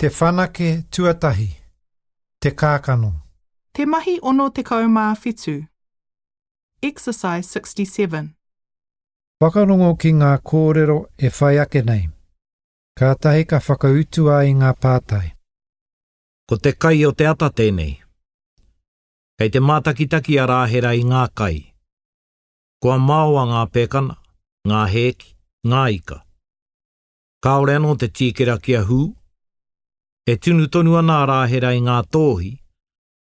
Te whanake tuatahi, Te kākano. Te mahi 67. Exercise 67. Whakarongo ki ngā kōrero e whai ake nei. Kātahi ka whakautua i ngā pātai. Ko te kai o te ata tēnei. Kei te mātakitaki a Rāhera i ngā kai. Kua maoa ngā pēkana, ngā hēki, ngā ika. Kāore anō te tīkera kia hū. E tunu tonu ana a Rāhera i ngā tōhi,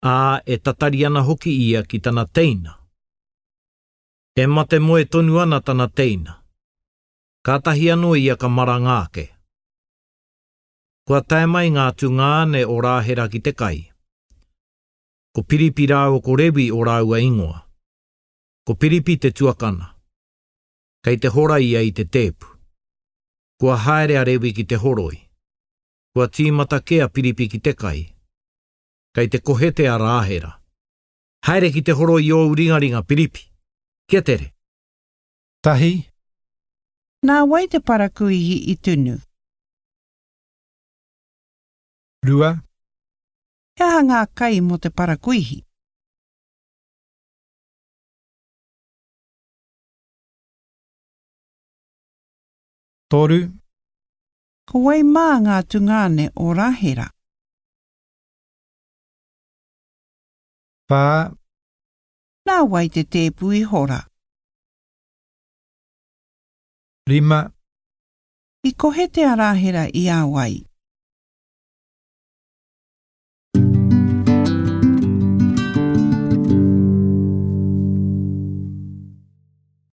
ā, e tatari ana hoki ia ki tana teina. E mate moe tonu ana tana teina. Kātahi anō ia ka maranga ake. Kua tae mai ngā tungāne o Rāhera ki te kai. Ko Piripi rāua ko Rewi ō rāua ingoa. Ko Piripi te tuakana. Kei te hora ia i te tēpu. Kua haere a Rewi ki te horoi. Kua tīmata kē a Piripi ki te kai. Kei te kohete a Rāhera. Haere ki te horoi i ōu ringaringa, Piripi! Kia tere! Tahi. Nā wai te parakuihi i tunu? Rua. He aha ngā kai mō te parakuihi? Toru. Ko wai mā ngā tungāne o Rahera? Whā. Nā wai te tēpu i hora? Rima. I kohete a Rahera i a wai?